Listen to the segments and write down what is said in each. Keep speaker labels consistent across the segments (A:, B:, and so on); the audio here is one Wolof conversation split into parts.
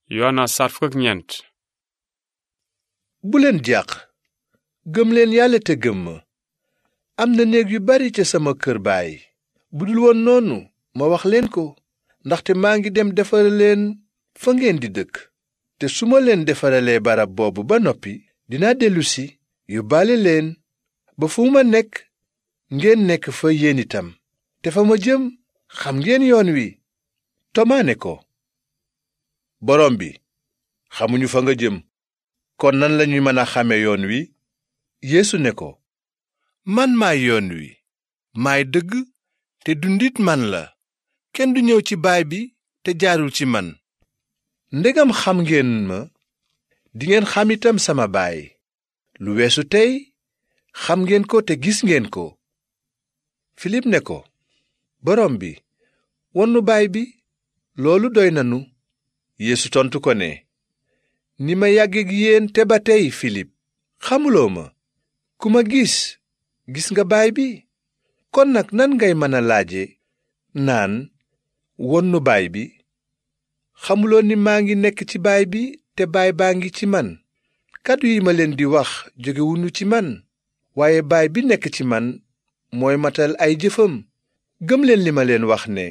A: Yoona saar fukk ak ñeent.
B: bu leen jàq gëm leen yàlla te gëm ma am na néeg yu bari ca sama kër baay bu dul woon noonu ma wax leen ko ndaxte maa ngi dem defare leen fa ngeen di dëkk te su ma leen defaralee barab boobu ba noppi dinaa dellusi yóbbaale leen ba fu ma nekk ngeen nekk fa yéen itam te fa ma jëm xam ngeen yoon wi. Tomaa ne ko, borom bi xamuñu fa nga jëm kon nan lañuy mën a xame yoon wi? Yeesu ne ko, man maay yoon wi maay dëgg te dundit man la kenn du ñëw ci baay bi te jaarul ci man. ndegam xam ngeen ma dingeen xam itam sama baay lu weesu tey xam ngeen ko te gis ngeen ko. Filip ne ko, borom bi won nu baay bi loolu doy nanu. Yeesu tontu ko ne, ni ma yàggeek yéen te ba tey Filip xamuloo ma ku ma gis nga baay bi kon nag nan ngay mën a laaje naan won nu baay bi? xamuloo ni maa ngi nekk ci baay bi te baay baa ngi ci man? kàddu yi ma leen di wax jógewuñu ci man waaye baay bi nekk ci man mooy matal ay jëfam. gëm leen li ma leen wax ne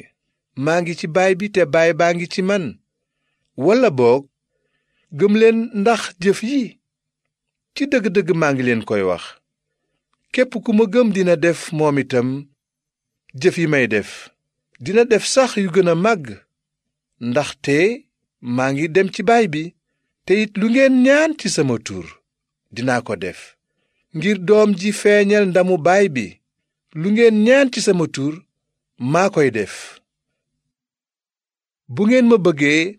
B: maa ngi ci baay bi te baay baa ngi ci man walla boog gëm leen ndax jëf yi. ci dëgg-dëgg maa ngi leen koy wax képp ku ma gëm dina def moom itam jëf yi may def dina def sax yu gën a màgg ndaxte maa ngi dem ci baay bi te it lu ngeen ñaan ci sama tur dinaa ko def ngir doom ji feeñal ndamu baay bi. lu ngeen ñaan ci sama tur maa koy def. bu ngeen ma bëggee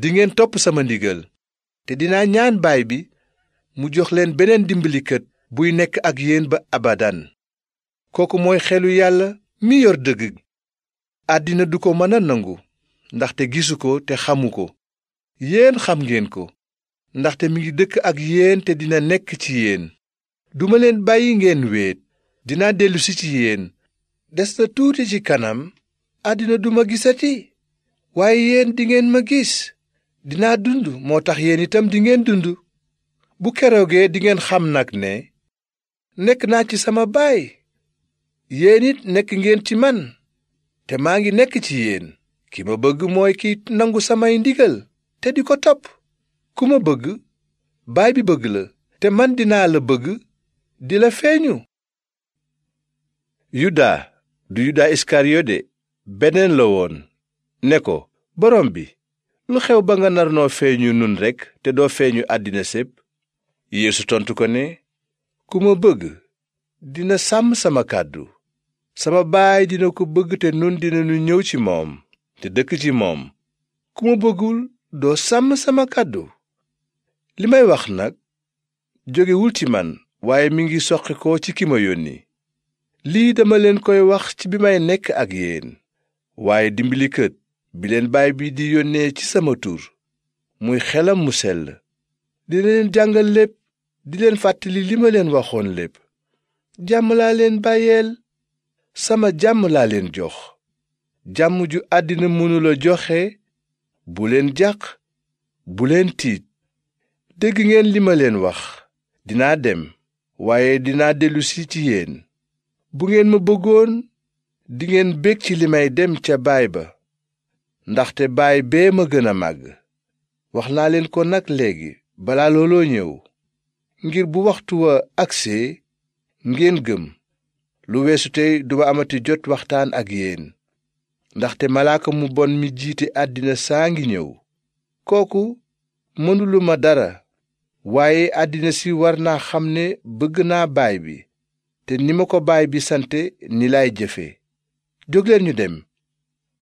B: dingeen topp sama ndigal te dinaa ñaan baay bi mu jox leen beneen dimbalikat buy nekk ak yéen ba abadan. kooku mooy xelu yàlla mi yor dëgg. àddina du ko mën a nangu ndaxte gisu ko te xamu ko. yéen xam ngeen ko ndaxte mi ngi dëkk ak yéen te dina nekk ci yéen. duma leen bàyyi ngeen wéet dinaa dellusi ci yéen. des na tuuti ci kanam àddina duma gisati waaye yéen dingeen ma gis. dinaa dund moo tax yéen itam dingeen dund. bu keroogee dingeen xam nag ne nekk naa ci sama baay yéen it nekk ngeen ci man te maa ngi nekk ci yéen. ki ma bëgg mooy ki nangu samay ndigal te di ko topp. ku ma bëgg baay bi bëgg la te man dinaa la bëgg di la feeñu. yuda du yuda iskariyode beneen la woon ne ko, borom bi lu xew ba nga nar noo feeñu nun rekk te doo feeñu àddina sépp? Yeesu tontu ko ne, ku ma bëgg dina sàmm sama kàddu sama baay dina ko bëgg te nun dinanu ñëw ci moom te dëkk ci moom. ku ma bëggul doo sàmm sama kàddu. li may wax nag jógewul ci man waaye mi ngi soqi ko ci ki ma yónni. lii dama leen koy wax ci bi may nekk ak yéen. waaye dimbalikat bi leen baay bi di yónnee ci sama tur muy xelam mu sell dina leen jàngal lépp di leen fàttali li ma leen waxoon lépp. jàmm laa leen bàyyeel sama jàmm laa leen jox. jàmm ju àddina mënula joxe. bu leen jàq bu leen tiit. dégg ngeen li ma leen wax. dinaa dem waaye dinaa dellusi ci yéen. bu ngeen ma bëggoon dingeen bég ci li may dem ca baay ba ndaxte baay bee ma gën a màgg. wax naa leen ko nag léegi balaa looloo ñëw ngir bu waxtu wa agsee ngeen gëm. lu weesu tey duma amati jot waxtaan ak yéen ndaxte malaaka mu bon mi jiite àddina saa ngi ñëw. kooku mënuluma dara waaye àddina si war naa xam ne bëgg naa baay bi te ni ma ko baay bi sante ni laay jëfe. jógleen ñu dem.